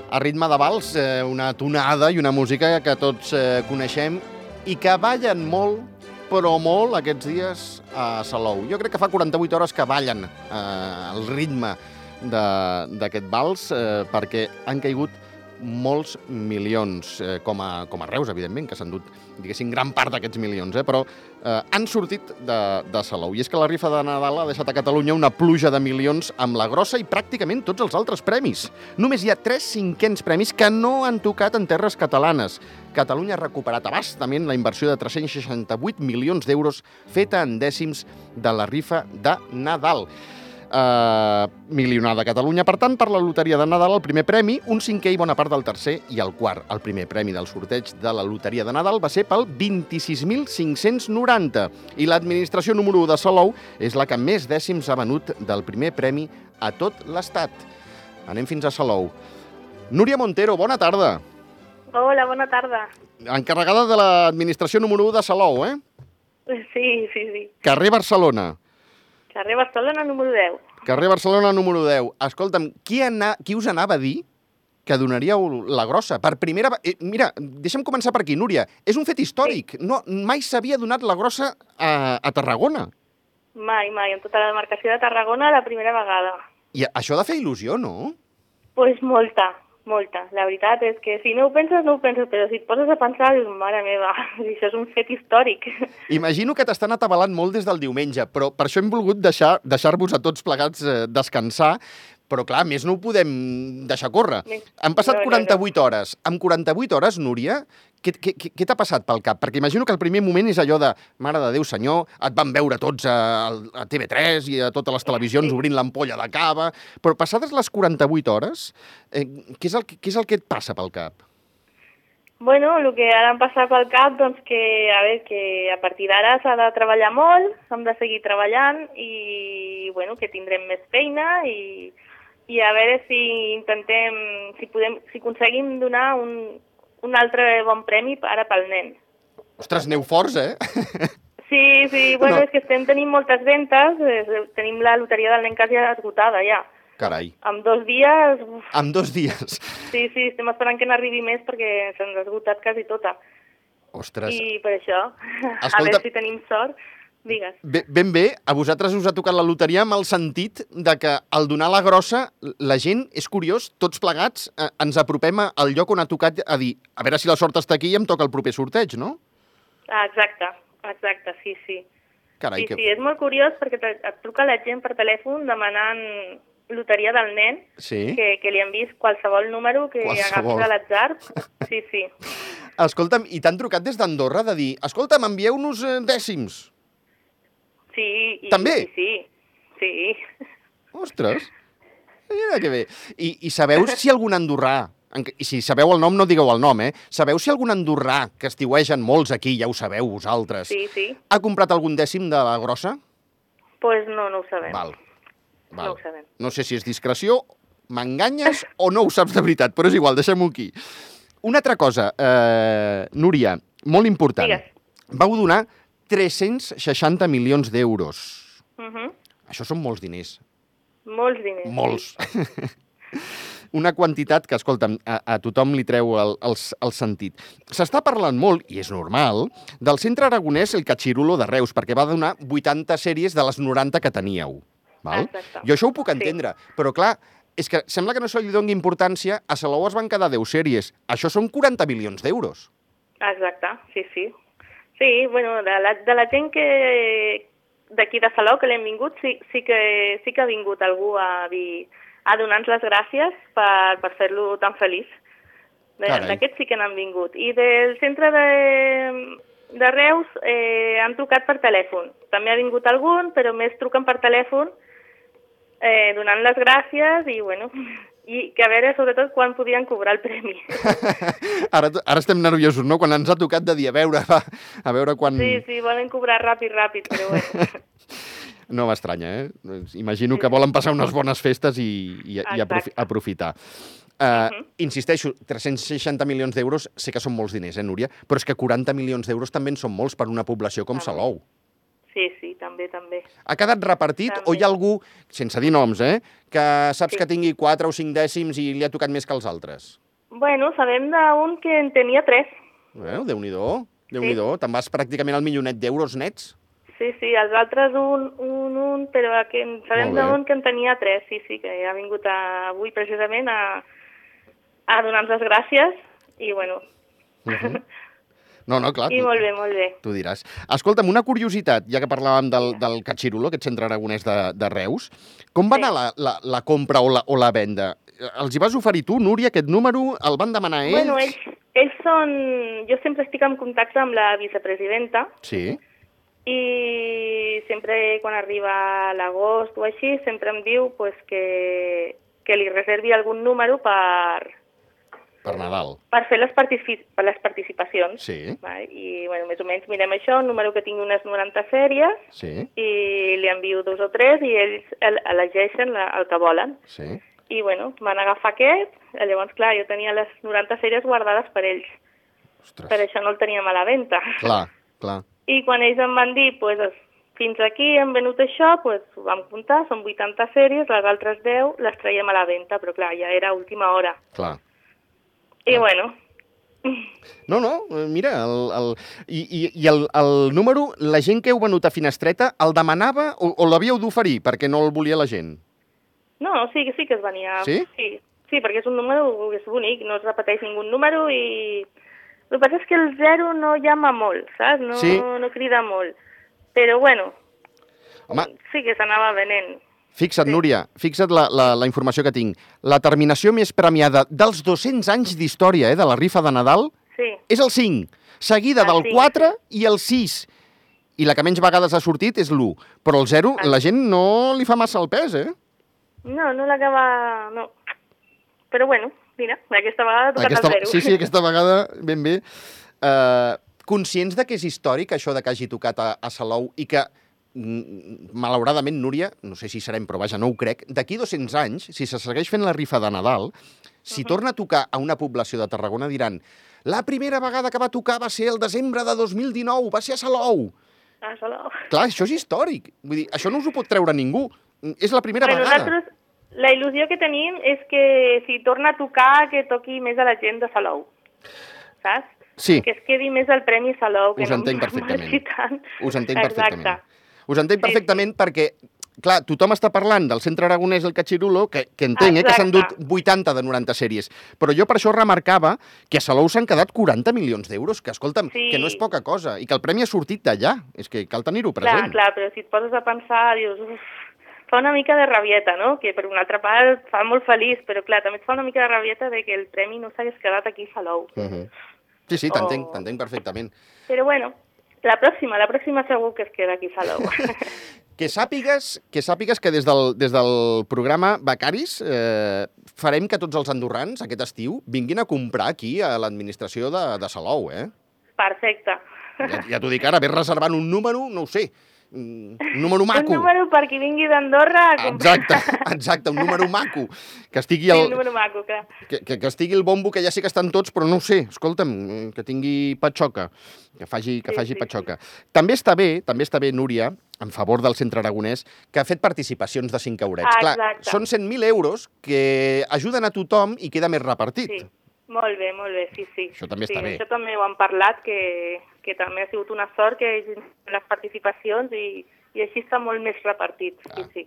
a ritme de vals, una tonada i una música que tots coneixem i que ballen molt, però molt aquests dies a Salou. Jo crec que fa 48 hores que ballen el ritme d'aquest vals perquè han caigut molts milions, com a Reus, evidentment, que s'han dut, diguéssim, gran part d'aquests milions, però han sortit de Salou. I és que la rifa de Nadal ha deixat a Catalunya una pluja de milions amb la grossa i pràcticament tots els altres premis. Només hi ha 3 cinquens premis que no han tocat en terres catalanes. Catalunya ha recuperat a bastament la inversió de 368 milions d'euros feta en dècims de la rifa de Nadal. Milionada Catalunya, per tant, per la loteria de Nadal, el primer premi, un cinquè i bona part del tercer i el quart. El primer premi del sorteig de la loteria de Nadal va ser pel 26.590 i l'administració número 1 de Salou és la que més dècims ha venut del primer premi a tot l'Estat. Anem fins a Salou. Núria Montero, bona tarda. Hola, bona tarda. Encarregada de l'administració número 1 de Salou, Sí. Carrer Barcelona. Carrer Barcelona, número 10. Carrer Barcelona, número 10. Escolta'm, qui us anava a dir que donaríeu la grossa? Per primera... Mira, deixa'm començar per aquí, Núria. És un fet històric. Sí. No, mai s'havia donat la grossa a Tarragona. Mai. En tota la demarcació de Tarragona, la primera vegada. I això ha de fer il·lusió, no? Pues molta. La veritat és que si no ho penses, però si et poses a pensar, dius, mare meva, això és un fet històric. Imagino que t'estan atabalant molt des del diumenge, però per això hem volgut deixar-vos a tots plegats descansar, però clar, més no ho podem deixar córrer. Han passat 48 hores. Amb 48 hores, Núria, què t'ha passat pel cap? Perquè imagino que el primer moment és allò de, mare de Déu senyor, et van veure tots a TV3 i a totes les televisions obrint l'ampolla de cava, però passades les 48 hores, què és el que et passa pel cap? Bueno, el que ara em passa pel cap, doncs que a partir d'ara s'ha de treballar molt, hem de seguir treballant i, bueno, que tindrem més feina i a veure si aconseguim donar un altre bon premi ara pel nen. Ostres, aneu forts, Sí, bueno, no. És que tenim moltes ventes, tenim la loteria del nen quasi esgotada ja. Carai. En 2 dies... En 2 dies? Sí, estem esperant que n'arribi més perquè se'ns ha esgotat quasi tota. Ostres. I per això, Escolta, a veure si tenim sort. Digues. Ben bé, a vosaltres us ha tocat la loteria amb el sentit de que al donar la grossa, la gent, és curiós, tots plegats ens apropem al lloc on ha tocat a dir, a veure si la sort està aquí i em toca el proper sorteig, no? Exacte, sí. Carai, sí, és molt curiós perquè et truca la gent per telèfon demanant loteria del nen, sí? que li han vist qualsevol número que agafis a l'atzar. Sí. Escolta'm, i t'han trucat des d'Andorra de dir, escolta'm, envieu-nos dècims. Sí. També? Sí. Ostres, mira que bé. I sabeu si algun andorrà, i si sabeu el nom no digueu el nom, sabeu si algun andorrà, que estiuegen molts aquí, ja ho sabeu vosaltres, sí. Ha comprat algun dècim de la grossa? Pues no ho sabem. Val. No ho sabem. No sé si és discreció, m'enganyes o no ho saps de veritat, però és igual, deixem-ho aquí. Una altra cosa, Núria, molt important. Digues. Vau donar 360 milions d'euros. Això són molts diners. Molts diners. Molts. Una quantitat que, escolta'm, a tothom li treu el sentit. S'està parlant molt, i és normal, del Centre Aragonès El Catxirulo de Reus, perquè va donar 80 sèries de les 90 que teníeu. Val? Exacte. Jo això ho puc entendre, però clar, és que sembla que no se li doni importància, a Salou es van quedar 10 sèries. Això són 40 milions d'euros. Exacte, sí. Sí, bueno, de la gent que d'aquí de Salou que l'hem vingut, sí que ha vingut algú a donar-nos les gràcies per fer-lo tan feliç. D'aquests sí que n'han vingut. I del centre de Reus han trucat per telèfon. També ha vingut algun, però més truquen per telèfon donant les gràcies i, bueno, i que a veure, sobretot, quan podien cobrar el premi. Ara estem nerviosos, no? Quan ens ha tocat de dir, a veure quan... Sí, volen cobrar ràpid, però bueno. No m'estranya, Imagino que volen passar unes bones festes i aprofitar. Insisteixo, 360 milions d'euros sé que són molts diners, Núria? Però és que 40 milions d'euros també en són molts per una població com Salou. sí, també. Ha quedat repartit També. o hi ha algú, sense dir noms, que saps Sí. que tingui 4 o 5 dècims i li ha tocat més que els altres? Bueno, sabem d'un que en tenia 3. Déu-n'hi-do, Déu-n'hi-do. Te'n vas pràcticament al milionet d'euros nets. Sí, els altres un, però sabem Molt bé. d'un que en tenia 3, sí, que ha vingut avui precisament a donar-nos les gràcies i bueno... No, clar. I molt bé. Tu diràs. Escolta'm, una curiositat, ja que parlàvem del Catxirulo, aquest centre aragonès de Reus, com va anar la compra o la venda? Els hi vas oferir tu, Núria, aquest número? El van demanar ells? Bueno, ells són... Jo sempre estic en contacte amb la vicepresidenta. Sí. I sempre quan arriba l'agost o així, sempre em diu pues, que li reservi algun número Per Nadal. per fer les participacions. Sí. I bueno, més o menys mirem això, un número que tingui unes 90 sèries, Sí. i li envio 2 o 3 i ells elegeixen el que volen. Sí. I bueno, van agafar aquest, llavors clar, jo tenia les 90 sèries guardades per ells. Ostres. Per això no el teníem a la venda. Clar. I quan ells em van dir, pues, fins aquí hem venut això, pues, ho vam comptar, són 80 sèries, les altres 10 les traiem a la venda, però clar, ja era última hora. Clar. I bueno... No, mira, el número, la gent que heu venut a Finestreta el demanava o l'havíeu d'oferir perquè no el volia la gent? No, sí que es venia. Sí? Sí, perquè és un número, és bonic, no es repeteix ningú número i... El que passa és que el 0 no llama molt, saps? No crida molt. Però bueno, Home, sí que s'anava venent. Fixa't, Núria, fixa't la informació que tinc. La terminació més premiada dels 200 anys d'història de la rifa de Nadal és el 5, seguida del 4 i el 6. I la que menys vegades ha sortit és l'1. Però el 0, la gent no li fa massa el pes, No l'acaba... No. Però bueno, mira, aquesta vegada ha tocat el 0. Sí, aquesta vegada ben bé. Conscients de que és històric això de que hagi tocat a Salou i que malauradament, Núria, no sé si serem, però vaja, no ho crec, d'aquí 200 anys, si se segueix fent la rifa de Nadal, si torna a tocar a una població de Tarragona, diran la primera vegada que va tocar va ser el desembre de 2019, va ser a Salou. A Salou. Clar, això és històric. Vull dir, això no us ho pot treure ningú. És la primera vegada. Nosaltres, la il·lusió que tenim és que si torna a tocar, que toqui més a la gent de Salou. Saps? Sí. Que es quedi més el Premi Salou. Us entenc perfectament. Us entenc perfectament. Exacte. Us entenc perfectament perquè, clar, tothom està parlant del centre aragonès del Catxirulo, que entenc que s'han dut 80 de 90 sèries, però jo per això remarcava que a Salou s'han quedat 40 milions d'euros, que, escolta'm, que no és poca cosa, i que el premi ha sortit d'allà. És que cal tenir-ho present. Clar, però si et poses a pensar, dius, fa una mica de rabieta, no? Que per una altra part fa molt feliç, però clar, també et fa una mica de rabieta de que el premi no s'hagués quedat aquí a Salou. Sí, t'entenc perfectament. Però bueno, la pròxima segur que es queda aquí a Salou. Que sàpigues que des del programa Becaris farem que tots els andorrans aquest estiu vinguin a comprar aquí a l'administració de Salou, Perfecte. Ja t'ho dic ara, ves reservant un número, no ho sé, un número maco. Un número per qui vingui d'Andorra a comprar. Exacte, un número maco. Que estigui un número maco, clar. Que estigui el bombo, que ja sé que estan tots, però no ho sé, escolta'm, que tingui patxoca, que faci patxoca. També està bé, Núria, en favor del centre aragonès, que ha fet participacions de 5 eurets. Clar, són 100.000 euros que ajuden a tothom i queda més repartit. Sí, molt bé, sí. Això també està bé. Això també ho han parlat, que també ha sigut una sort que hi hagi les participacions i així està molt més repartit. Sí.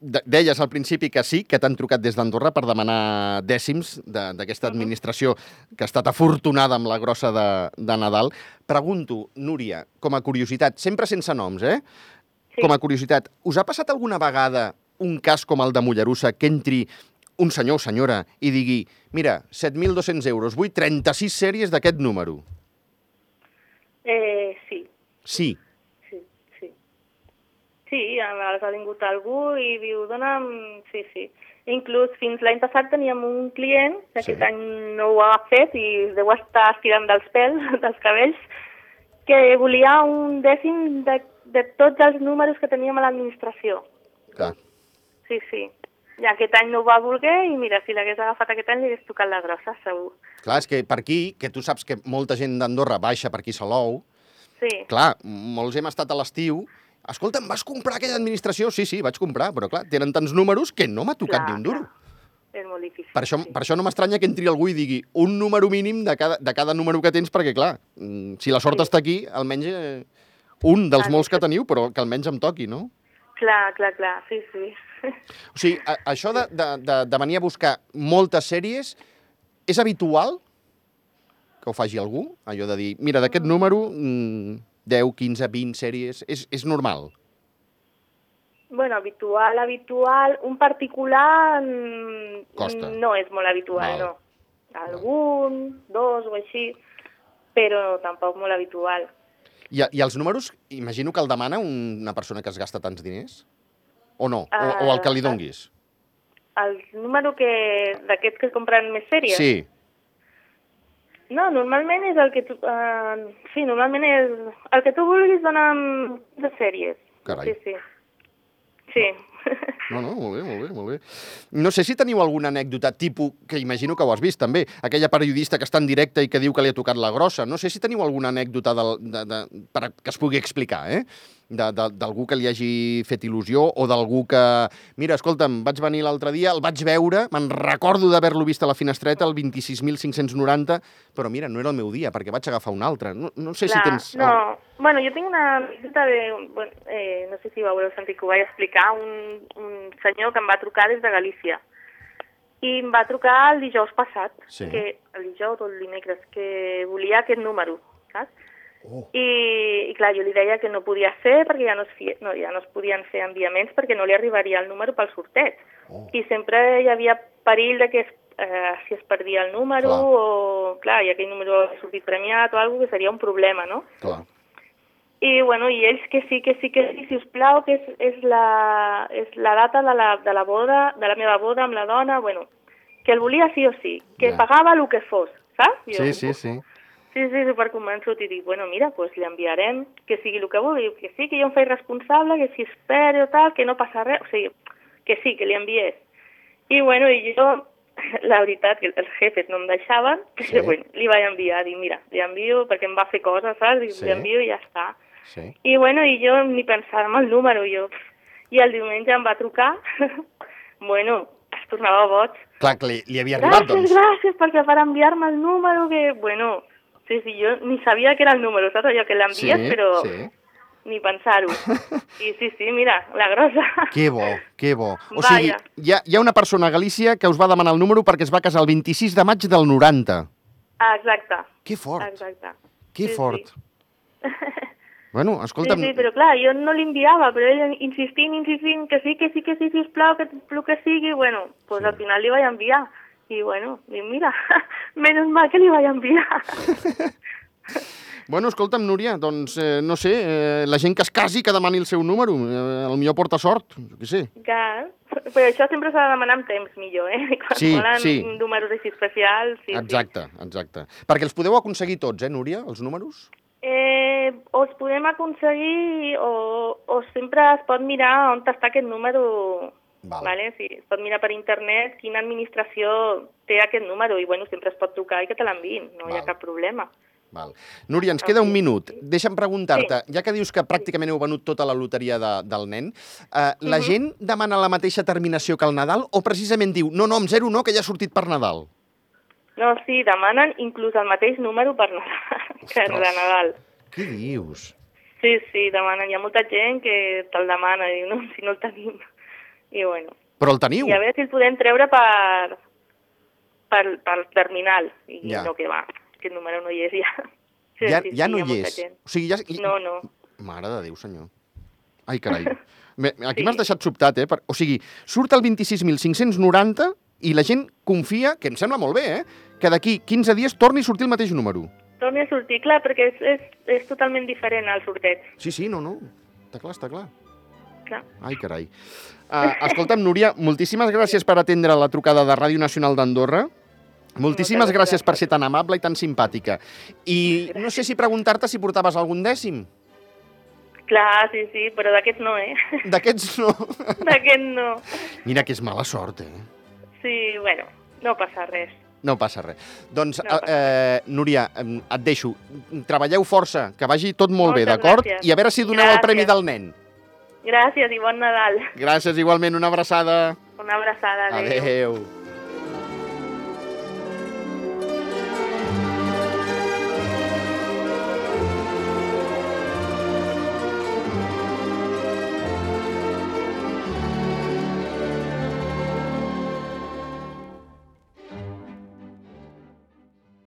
Deies al principi que sí, que t'han trucat des d'Andorra per demanar dècims d'aquesta administració que ha estat afortunada amb la grossa de Nadal. Pregunto, Núria, com a curiositat, sempre sense noms, com a curiositat, us ha passat alguna vegada un cas com el de Mollerussa que entri un senyor o senyora i digui mira, 7.200 euros, vull 36 sèries d'aquest número? Sí. Sí? Sí, ha vingut algú i diu, dona'm... Sí. Inclús fins l'any passat teníem un client, que aquest any no ho ha fet i deu estar estirant dels pèls, dels cabells, que volia un dècim de tots els números que teníem a l'administració. Clar. Sí. I aquest any no ho va voler i mira, si l'hagués agafat aquest any li hagués tocat la grossa, segur. Clar, és que per aquí, que tu saps que molta gent d'Andorra baixa per aquí a Salou, sí. Clar, molts hem estat a l'estiu. Escolta, em vas comprar aquella administració? Sí, vaig comprar, però clar, tenen tants números que no m'ha tocat ni un duro. És molt difícil. Per això no m'estranya que entri algú i digui un número mínim de cada número que tens, perquè clar, si la sort està aquí, almenys un dels molts que teniu, però que almenys em toqui, no? Clar, sí. O sigui, això de venir a buscar moltes sèries, és habitual que ho faci algú? Allò de dir, mira, d'aquest número, 10, 15, 20 sèries, és normal? Bueno, habitual. Un particular Costa. No és molt habitual, no. Algun, dos o així, però tampoc molt habitual. I els números, imagino que el demana una persona que es gasta tants diners? O no? O el que li donguis? El número d'aquests que compren més sèries? Sí. No, normalment és el que tu... sí, normalment és el que tu vulguis donar de sèries. Carai. Sí. No, molt bé. No sé si teniu alguna anècdota tipus, que imagino que ho has vist també, aquella periodista que està en directe i que diu que li ha tocat la grossa. No sé si teniu alguna anècdota que es pugui explicar, d'algú que li hagi fet il·lusió o d'algú que... Mira, escolta'm, vaig venir l'altre dia, el vaig veure, me'n recordo d'haver-lo vist a la finestreta, el 26.590, però mira, no era el meu dia, perquè vaig agafar un altre. No sé si tens... No, bueno, jo tinc una anècdota no sé si ho haureu sentit que ho vaig explicar, un senyor que em va trucar des de Galícia. I em va trucar el dijous passat, el dijous o el dimecres, que volia aquest número, saps? I clar, jo li deia que no podia ser perquè ja no es podien fer enviaments perquè no li arribaria el número pel sorteig. I sempre hi havia perill de que si es perdia el número o, clar, i aquell número ha sortit premiat o alguna cosa, que seria un problema, no? Clar. I, bueno, i ells que sí, si us plau, que és la data de la boda, de la meva boda amb la dona, bueno, que el volia sí o sí, que pagava el que fos, saps? Sí. Sí, superconvençut, i dic, bueno, mira, pues li enviarem, que sigui el que vulgui, que sí, que jo em faig responsable, que si espero o tal, que no passa res, o sigui, que sí, que li enviés. I, bueno, i jo, la veritat, que els jefes no em deixaven, però, bueno, li vaig enviar, dic, mira, li envio perquè em va fer coses, saps? Dic, li envio i ja està. Sí. I, bueno, i jo ni pensava en el número, i el diumenge em va trucar, bueno, es tornava boig. Clar, que li havia arribat, doncs. Gràcies, perquè per enviar-me el número, que, bueno... Sí, jo ni sabia que era el número, saps? Allò que l'envies, però ni pensar-ho. I sí, mira, la grossa. Que bo. O sigui, hi ha una persona a Galícia que us va demanar el número perquè es va casar el 26 de maig del 90. Exacte. Que fort. Exacte. Que fort. Bueno, escolta'm... Sí, però clar, jo no l'enviava, però ell insistint, que sí, sisplau, que el que sigui, bueno, pues al final li vaig enviar. I, bueno, mira, menys mal que li vaig enviar. Bueno, escolta'm, Núria, doncs, no sé, la gent que es casi que demani el seu número, potser porta sort, jo què sé. Clar, però això sempre s'ha de demanar amb temps millor, Quan volen números així especials... Exacte. Perquè els podeu aconseguir tots, Núria, els números? O els podem aconseguir o sempre es pot mirar on està aquest número... Vale, sí, es pot mirar per internet quina administració té aquest número i, bueno, sempre es pot trucar i que te l'enviïn, no hi ha cap problema. Val. Núria, ens queda un minut. Deixa'm preguntar-te, ja que dius que pràcticament heu venut tota la loteria del nen, la gent demana la mateixa terminació que el Nadal o precisament diu, no, amb 0 no, que ja ha sortit per Nadal? No, sí, demanen inclús el mateix número per Nadal. Què dius? Sí, demanen. Hi ha molta gent que te'l demana i diu, no, si no el tenim... I, bueno. Però el teniu? I a veure si el podem treure per terminal. I no, que va, aquest número no hi és ja. Ja no hi és? O sigui, No. Mare de Déu, senyor. Ai, carai. Aquí m'has deixat sobtat, O sigui, surt el 26.590 i la gent confia, que em sembla molt bé, que d'aquí 15 dies torni a sortir el mateix número. Torni a sortir, clar, perquè és totalment diferent al sorteig. Sí, no. Està clar. Clar. Ai, carai. Escolta'm, Núria, moltíssimes gràcies per atendre la trucada de Ràdio Nacional d'Andorra. Moltíssimes gràcies per ser tan amable i tan simpàtica. I no sé si preguntar-te si portaves algun dècim. Clar, sí, però d'aquests no, D'aquests no? D'aquest no. Mira que és mala sort, Sí, bueno, no passa res. No passa res. Doncs, No passa Núria, et deixo. Treballeu força, que vagi tot molt bé, Moltes d'acord? gràcies. I a veure si doneu el Premi Gràcies. del nen. Gràcies i bon Nadal. Gràcies, igualment. Una abraçada. Una abraçada. Adéu. Adéu.